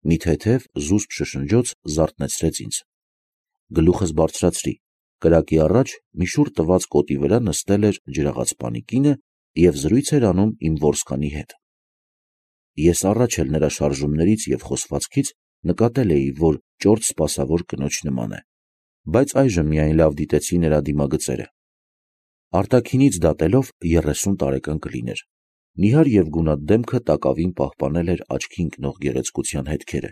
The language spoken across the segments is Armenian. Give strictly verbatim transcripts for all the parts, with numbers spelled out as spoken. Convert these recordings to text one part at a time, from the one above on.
մի թեթև զուսպ շշնջոց զարթնեցրեց ինձ։ Գլուխս բարձրացրի, կրակի առաջ մի շուռ տված կոտի վրա նստել էր ջրաղացպանի կինը և զրույց էր անում իմ որսկանի հետ։ Ես առաջ էլ նրա շարժումներից և խոսվածքից նկատել էի, որ ճորտ սպասավոր կնոջ նման է, բայց այժմ միայն լավ դիտեցի նրա դիմագծերը։ Արտաքինից դատելով երեսուն տարեկան կլիներ, նիհար և գունատ դեմքը տակավին պահպանել էր աչքի ընկնող գեղեցկության հետքերը։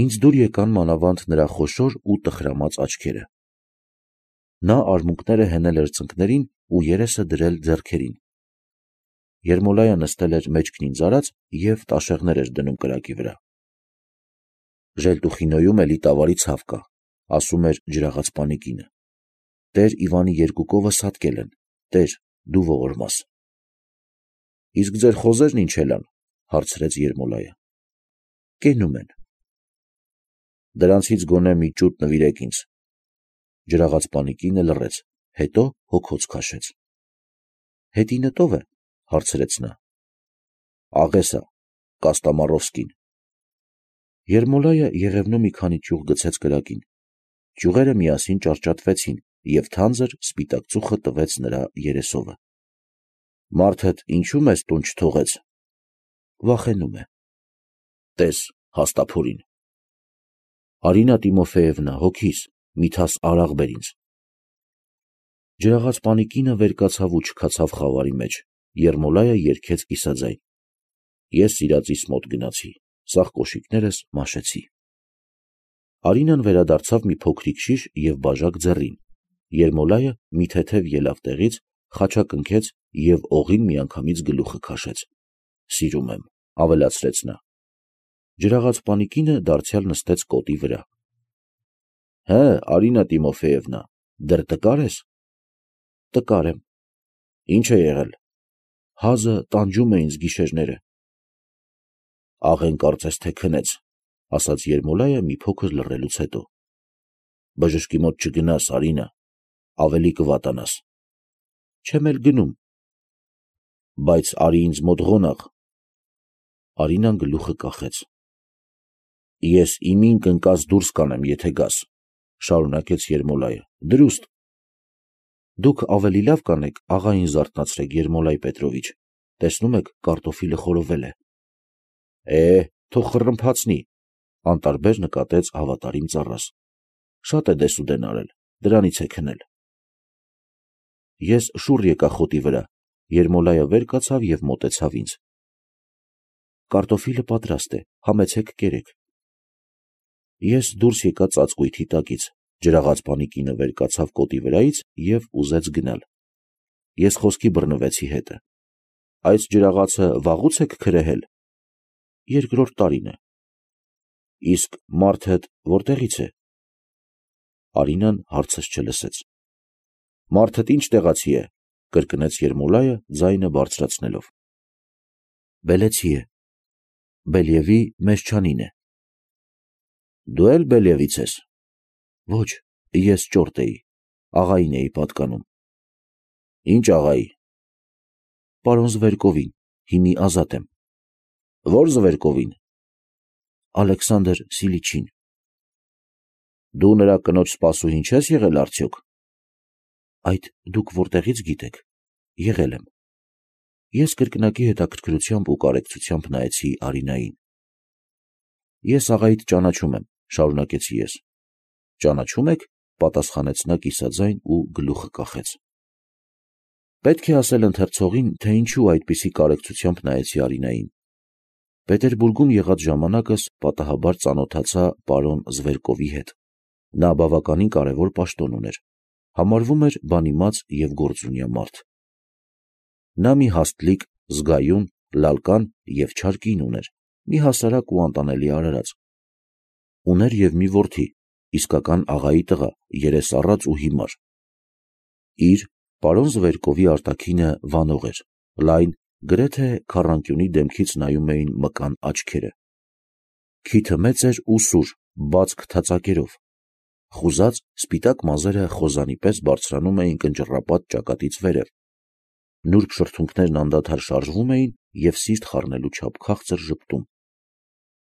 Ինձ դուր եկան մանավանդ նրա խոշոր ու տխրամած աչքերը։ Նա արմունկները հենել էր ծնկներին ու երեսը դրել ձեռքերին։ Երմոլայը նստել էր մեջքն ինձ արած և տաշեղներ էր դնում կրակի վրա։ «Ժելտուխինոյում էլի տավարի ցավ կա», ասում էր ջրաղացպանի կինը։ «Տեր Իվանի երկու կովը սատկել են, տեր, դու ողորմաս»։ «Իսկ ձեր խոզե՞րն ինչ էլ ան», հարցրեց Երմոլայը։ «Կենում են»։ «Դրանցից գոնե մի ճուտ նվիրեք ինձ»։ Ջրաղացպանի կինը լռեց, հետո հոգոց քաշեց։ «Հետինդ ո՞վ է», հարցրեց նա։ «Աղեսա, Կոստամարովսկին»։ Երմոլայը եղևնու մի քանի ճյուղ գցեց կրակին։ Ճյուղերը միասին ճարճատվեցին, և թանձր սպիտակ ծուխը տվեց նրա երեսովը։ «Մարդդ ինչո՞ւ մեզ տուն չթողեց»։ «Վախենում է»։ «Տես, հաստափորին»։ «Արինա Տիմոֆեևնա, հոգիս, մի թաս արաղ բեր ինձ»։ Ջրաղացպանի կինը վեր կացավ ու չքացավ խավարի մեջ։ Երմոլայը երգեց կիսաձայն. «Ես սիրածիս մոտ գնացի, սաղ կոշիկներս մաշեցի»։ Արինան վերադարձավ մի փոքրիկ շիշ և բաժակ ձեռին։ Երմոլայը մի թեթև ելավ տեղից, խաչակ ընկեց և օղին միանգամից գլուխը քաշեց։ «Սիրում եմ», ավելացրեց նա։ Ջրաղացպանի կինը դարձյալ նստեց կոտի վրա։ «Հը, Արինա Տիմոֆեևնա, դեռ տկար ես»։ «Տկար եմ»։ «Ի՞նչ է եղել»։ «Հազը տանջում է ինձ գիշերները»։ «Աղեն կարծես թե քնեց», ասաց Երմոլայը մի փոքր լռելուց հետո։ «Բժշկի մոտ չգնաս, Արինա, ավելի կվատանաս»։ «Չեմ էլ գնում»։ «Բայց արի ինձ մոտ ղոնաղ»։ Արինան գլուխը կախեց։ «Ես իմին կընկած դուրս կանեմ, եթե գաս», շարունակեց Երմոլայը, «դրուստ»։ «Դուք ավելի լավ կանեք աղային զարթնացրեք, Երմոլայ Պետրովիչ, տեսնում եք կարտոֆիլը խորովել է»։ «Է, թող խռմփացնի», անտարբեր նկատեց հավատարիմ ծառաս։ «Շատ է դեսուդեն արել, դրանից է քնել»։ Ես շուռ եկա խոտի վրա։ Երմոլայը վեր կացավ և մոտեցավ ինձ։ «Կարտոֆիլը պատրաստ է, համեցեք կերեք»։ Ես դուրս եկա ծածկույթի տակից։ Ջրաղացպանի կինը վեր կացավ կոտի վրայից և ուզեց գնալ։ Ես խոսքի բռնվեցի հետը։ «Այս ջրաղացը վաղուց եք քրեհել»։ «Երկրորդ տարին է»։ «Իսկ մարդդ որտեղից է»։ Արինան հարցս չլսեց։ «Մարդդ ինչ տեղացի է», կրկնեց Երմոլայը, ձայնը բարձրացնելով։ «Բելեցի է, Բելյևի Մեշչանին է»։ «Դու էլ Բելյևից ես»։ «Ոչ, ես ճորտ էի, աղային էի պատկանում»։ «Ի՞նչ աղայի»։ «Պարոն Զվերկովին, հինի ազատ եմ»։ «Ո՞ր Զվերկովին»։ «Ալեքսանդր Սիլիչին»։ «Դու նրա կնոջ սպասուհին չես եղել արդյոք»։ «Այդ դուք որտեղից գիտեք»։ «Եղել եմ»։ Ես կրկնակի հետաքրքրությամբ ու կարեկցությամբ նայեցի Արինային։ «Ես աղայիդ ճանաչում եմ», շարունակեցի ես։ «Ճանաչում եք», պատասխանեց նա կիսաձայն ու գլուխը կախեց։ Պետք է ասել ընթերցողին, թե ինչու այդպիսի կարեկցությամբ նայեցի Արինային։ Պետերբուրգում եղած ժամանակս պատահաբար ծանոթացա պարոն Զվերկովի հետ։ Նա բավականին կարևոր պաշտոն ուներ, համարվում էր բանիմաց և գործունյա մարդ։ Նա մի հաստլիկ, զգայուն, լալկան և չար կին ուներ, մի հասարակ ու անտանելի արարած։ Ուներ և մի որդի, իսկական աղայի տղա, երեսառած ու հիմար։ Իր, պարոն Զվերկովի արտաքինը վանող էր, լայն, գրեթե քառանկյունի դեմքից նայում էին մկան աչքերը։ Քիթը մեծ էր ու սուր, բաց քթածակերով։ Խուզած, սպիտակ մազերը խոզանի պես բարձրանում էին կնճռապատ ճակատից վերև։ Նուրբ շրթունքներն անդադար շարժվում էին և սիրտ խառնելու չափ քաղցր ժպտում։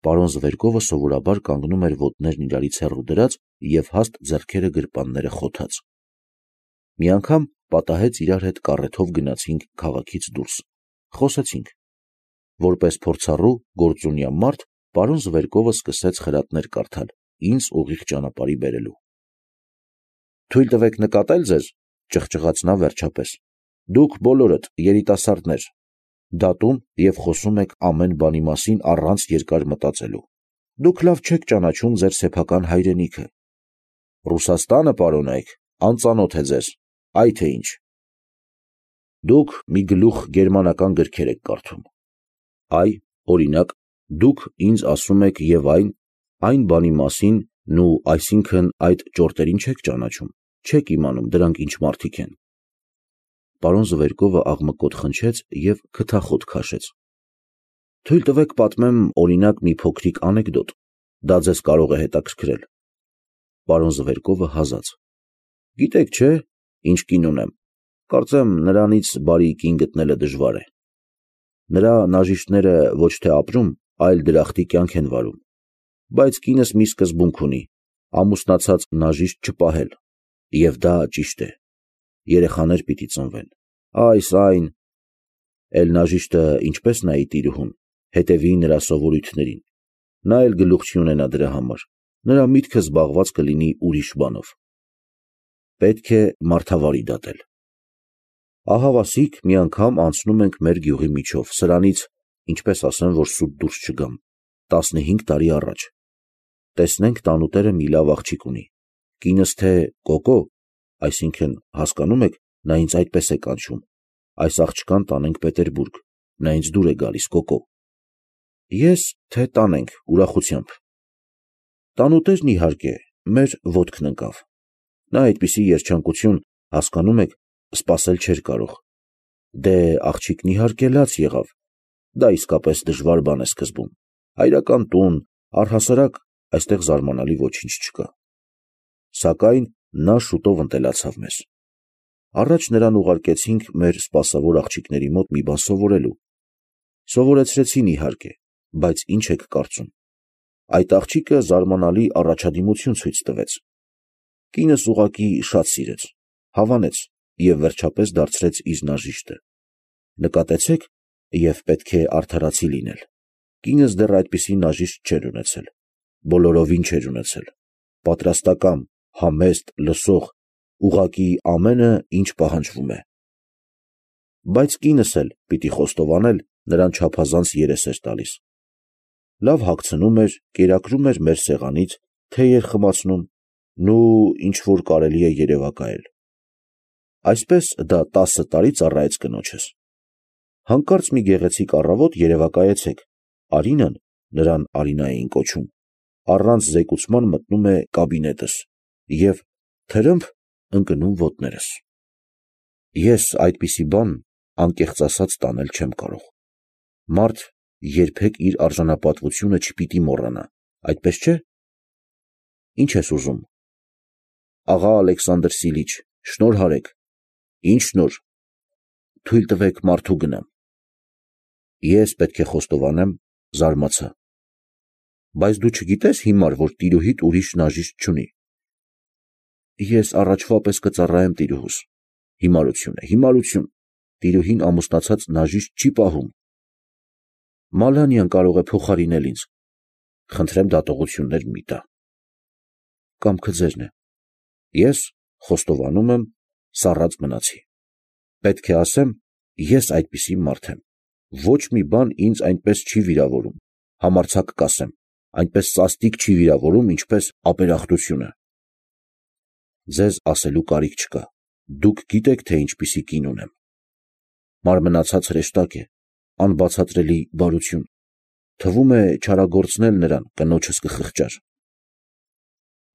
Պարոն Զվերկովը սովորաբար կանգնում էր ոտներն իրարից հեռու դրած և հաստ ձեռքերը գրպանները խոթած։ Մի անգամ պատահեց իրար հետ կառեթով գնացինք քաղաքից դուրս, խոսեցինք։ Որպես փորձառու գործունյա մարդ, պարոն Զվերկովը սկսեց խրատներ կարդալ, ինձ ուղիղ ճանապարհի բերելու։ «Թույլ տվեք նկատել ձեզ», ճղճղաց նա վերջապես, «դուք բոլորդ երիտասարդներ, դատում և խոսում եք ամեն բանի մասին առանց երկար մտածելու։ Դուք լավ չեք ճանաչում ձեր սեփական հայրենիքը։ Ռուսաստանը, պարոնայք, անծանոթ է ձեզ, այ թե ինչ։ Դուք մի գլուխ գերմանական գրքեր եք կարդում։ Այ, օրինակ, դուք ինձ ասում եք և այն, այն բանի մասին, նու այսինքն այդ ճորտերին չեք ճանաչում, չեք իմանում դրանք ինչ մարդիկ են»։ Պարոն Զվերկովը աղմկոտ խնջեց և քթախոտ քաշեց։ «Թույլ տվեք պատմեմ, օրինակ, մի փոքրիկ անեկդոտ, դա ձեզ կարող է հետաքրքրել»։ Պարոն Զվերկովը հազաց։ «Գիտեք չէ, ինչ կին ունեմ, կարծեմ նրանից բարի կին գտնելը դժվար է։ Նրա նաժիշտները ոչ թե ապրում, այլ դրախտի կյանք են վարում, բայց կինս մի սկզբունք ունի՝ ամուսնացած նաժիշտ չպահել, և դա ճիշտ է։ Երեխաներ պիտի ծնվեն, այս, այն։ Էլ նաժիշտը ինչպես նայի տիրուհուն, հետևի նրա սովորույթներին, նա էլ գլուխ չի ունենա դրա համար, նրա միտքը զբաղված կլինի ուրիշ բանով։ Պետք է մարդավարի դատել։ Ահավասիկ մի անգամ անցնում ենք մեր գյուղի միջով, սրանից, ինչպես ասեմ, որ սուտ դուրս չգամ, տասնհինգ տարի առաջ։ Տեսնենք տանուտերը մի լավ աղջիկ ունի, կինս թե Կոկո, այսինքն, հասկանում եք, նա ինձ այդպես է կանչում, այս աղջկան տանենք Պետերբուրգ, նա ինձ դուր է գալիս, Կոկո։ Ես, թե տանենք, ուրախությամբ։ Տանուտերն իհարկե, մեր ոտքն ընկավ։ Նա այդպիսի երջանկություն, հասկանում եք, սպասել չէր կարող։ Դե աղջիկն իհարկե լաց եղավ, դա իսկապես դժվար բան է սկզբում, հայրական տուն, առհասարակ, այստեղ զարմանալի ոչինչ չկա։ Սակայն նա շուտով ընտելացավ մեզ։ Առաջ նրան ուղարկեցինք մեր սպասավոր աղջիկների մոտ մի բան սովորելու։ Սովորեցրեցին իհարկե, բայց ինչ եք կարծում, այդ աղջիկը զարմանալի առաջադիմություն ցույց տվեց։ Կինս ուղղակի շատ սիրեց, հավանեց և վերջապես դարձրեց իր նաժիշտը։ Նկատեցեք, և պետք է արդարացի լինել, կինս դեռ այդպիսի նաժիշտ չէր ունեցել, բոլորովին չէր ունեցել, պատրաստակամ, համեստ, լսող, ուղղակի ամենը, ինչ պահանջվում է։ Բայց կինս էլ, պիտի խոստովանել, նրան չափազանց երես էր տալիս։ Լավ հագցնում էր, կերակրում էր մեր սեղանից, թեյ էր խմացնում, նու ինչ որ կարելի է երևակայել։ Այսպես դա տասը տարի ծառայեց կնոջս։ Հանկարծ մի գեղեցիկ առավոտ երևակայեցեք, Արինան, նրան Արինա էին կոչում, առանց զեկուցման մտնում է կաբինետս և, թրըմփ, ընկնում ոտներս։ Ես այդպիսի բան, անկեղծ ասած, տանել չեմ կարող։ Մարդ երբեք իր արժանապատվությունը չպիտի մոռանա, այդպես չէ՞։ Ինչ ես ուզում։ Աղա Ալեքսանդր Սիլիչ, շնորհ արեք։ Ինչ շնորհ։ Թույլ տվեք մարդու գնամ։ Ես պետք է խոստովանեմ, զարմացա։ Բայց դու չգիտես հիմար, որ տիրուհիդ ուրիշ նաժիշտ չունի։ Ես առաջվա պես կծառայեմ տիրուհուս։ Հիմարություն է, հիմարություն, տիրուհին ամուսնացած նաժիշտ չի պահում։ Մալանյան կարող է փոխարինել ինձ։ Խնդրեմ դատողություններ մի տա։ Կամքը ձերն է։ Ես, խոստովանում եմ, սառած մնացի։ Պետք է ասեմ, ես այդպիսի մարդ եմ։ Ոչ մի բան ինձ այնպես չի վիրավորում, համարձակ կասեմ, այնպես սաստիկ չի վիրավորում, ինչպես ապերախտությունը։ Ձեզ ասելու կարիք չկա, դուք գիտեք, թե ինչպիսի կին ունեմ։ Մարմնացած հրեշտակ է, անբացատրելի բարություն, թվում է չարագործնել նրան, կնոջս կխղճար։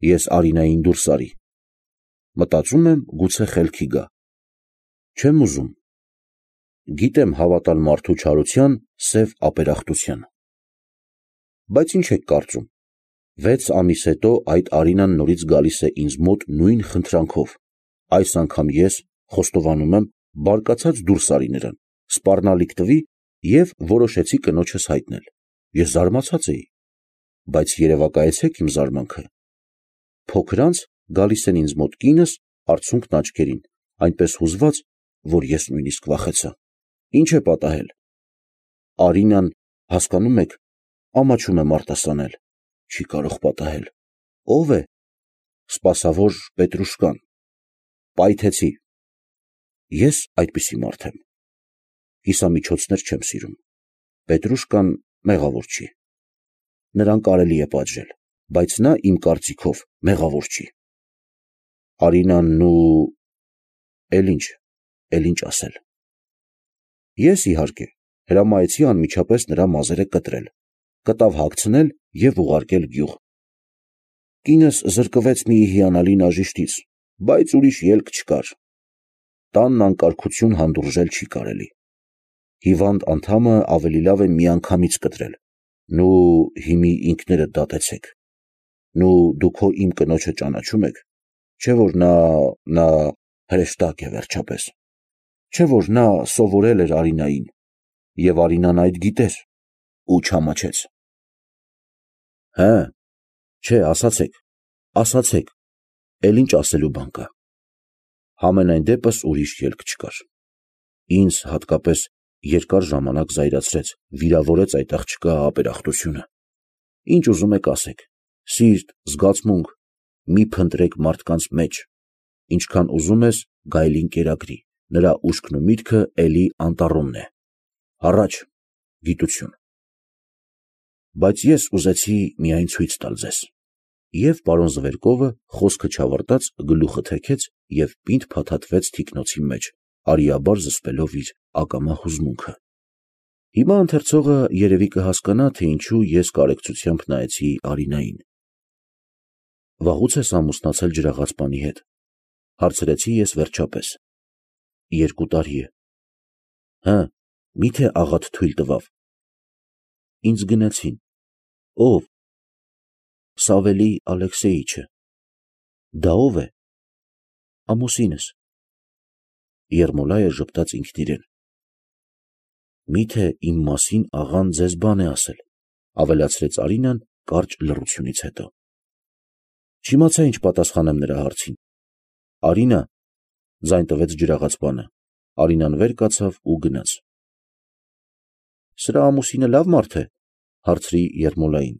Ես Արինային դուրս արի։ Մտածում եմ, գուցե խելքի գա։ Չեմ ուզում։ Գիտեմ հավատալ մարդու չարության, սև ապերախտության։ Բայց ինչ եք կարծում, վեց ամիս հետո այդ Արինան նորից գալիս է ինձ մոտ նույն խնդրանքով, այս անգամ ես, խոստովանում եմ, բարկացած դուրս արի նրան, սպառնալիք տվի և որոշեցի կնոջս հայտնել։ Ես զարմացած էի։ բայց երևակայեցեք իմ զարմանքը։ Փոքրանց գալիս են ինձ մոտ կինս, արցունքն աչքերին, այնպես հուզված, որ ես նույնիսկ վախեցա։ Ինչ է պատահել։ Արինան, հասկանում եք, ամաչում է մարտասանել, չի կարող պատահել։ Ո՞վ է։ Սպասավոր Պետրուշկան։ Պայթեցի։ Ես այդպիսի մարդ եմ։ Կիսամիջոցներ չեմ սիրում։ Պետրուշկան մեղավոր չի։ Նրան կարելի է պատժել, բայց նա իմ կարծիքով մեղավոր չի։ Արինան ու… էլ ինչ, էլ ինչ ասել։ Ես, իհարկե, հրամայեցի անմիջապես նրա մազերը կտրել, կտավ հագցնել և ուղարկել գյուղ։ Կինս զրկվեց մի հիանալի նաժիշտից, բայց ուրիշ ելք չկար։ Տանն անկարգություն հանդուրժել չի կարելի։ Հիվանդ անդամը ավելի լավ է միանգամից կտրել։ Նու հիմի ինքներդ դատեցեք։ Նու դուք հո իմ կնոջը ճանաչում եք, չէ՞ որ նա… նա… հրեշտակ է վերջապես։ Չէ՞ որ նա սովորել էր Արինային, և Արինան այդ գիտեր ու չամաչեց։ Հը, չէ, ասացեք, ասացեք, էլ ինչ ասելու բան կա։ Համենայն դեպս ուրիշ ելք չկար։ Ինձ հատկապես երկար ժամանակ զայրացրեց, վիրավորեց այդ աղջկա ապերախտությունը։ Ինչ ուզում եք ասեք, սիրտ, զգացմունք, մի փնտրեք մարդկանց մեջ, ինչքան ուզում ես գայլին կերակրի, նրա ուշքն ու միտքը էլի անտառումն է։ Առաջ, գիտություն։ Բայց ես ուզեցի միայն ցույց տալ ձեզ։ Եվ պարոն Զվերկովը խոսքը չավարտած գլուխը թեքեց և պինդ փաթաթվեց թիկնոցի մեջ, արիաբար զսպելով իր ակամա հուզմունքը։ Հիմա ընթերցողը երևի կհասկանա, թե ինչու ես կարեկցությամբ նայեցի Արինային։ Վաղուց ես ամուսնացել ջրաղացպանի հետ, հարցրեցի ես վերջապես։ Երկու տարի է։ Հը, մի՞թե աղադ թույլ տվավ։ Ինձ գնեցին։ Ո՞վ։ Սավելի Ալեքսեյիչը։ Դա ո՞վ է։ Ամուսինս։ Երմոլայը ժպտաց ինքն իրեն։ Մի՞թե իմ մասին աղան ձեզ բան է ասել, ավելացրեց Արինան կարճ լռությունից հետո։ Չիմացա ինչ պատասխանեմ նրա հարցին։ Արինա, ձայն տվեց ջրաղացպանը։ Արինան վեր կացավ ու գնաց։ Սրա ամուսինը լավ մարդ է, հարցրի Երմոլային։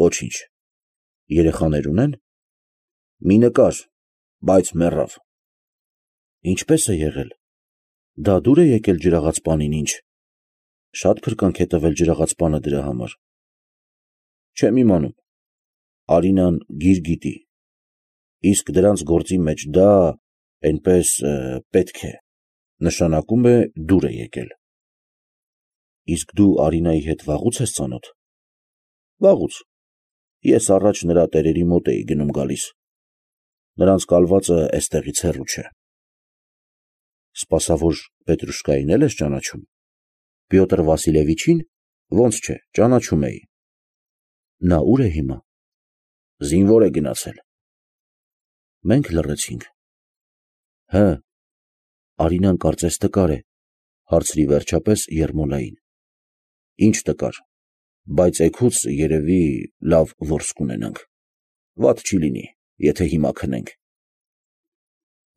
Ոչինչ։ Երեխաներ ունեն։ Մի նկար, բայց մեռավ։ Ինչպե՞ս է եղել։ Դա դուր է եկել ջրաղացպանին, ինչ։ Շատ փրկանք է տվել ջրաղացպանը դրա համար։ Չեմ իմանում։ Արինան գիր գիտի։ Իսկ դրանց գործի մեջ դա, էնպես, պետք է, նշանակում է դուր է եկել։ Իսկ դու Արինայի հետ վաղուց ես ծանոթ։ Վաղուց։ Ես առաջ նրա տերերի մոտ էի գնում գալիս։ Նրանց կալվածը էստեղից հեռու չէ։ Սպասավոր Պետրուշկային էլ ես ճանաչում։ Պյոտր Վասիլևիչին, ոնց չէ, ճանաչում էի։ Նա ուր է հիմա։ Զինվոր է գնացել։ Մենք լռեցինք։ Հը, Արինան կարծես տկար է, հարցրի վերջապես Երմոլային։ Ինչ տկար, բայց էգուց երևի լավ որս կունենանք։ Վատ չի լինի, եթե հիմա քնենք։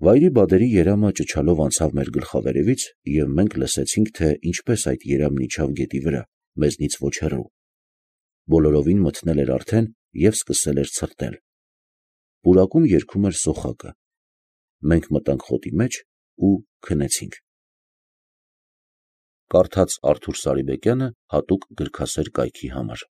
Վայրի բադերի երամը ճչալով անցավ մեր գլխավերևից, և մենք լսեցինք, թե ինչպես այդ երամն իջավ գետի վրա, մեզնից ոչ հեռու։ Բոլորովին մթնել էր արդեն և սկսել էր ցրտել։ Պուրակում երգում էր սոխակը։ Մենք մտանք խոտի մեջ ու քնեցինք։ Կարդաց Արթուր Սարիբեկյանը հատուկ գրքասեր կայքի համար։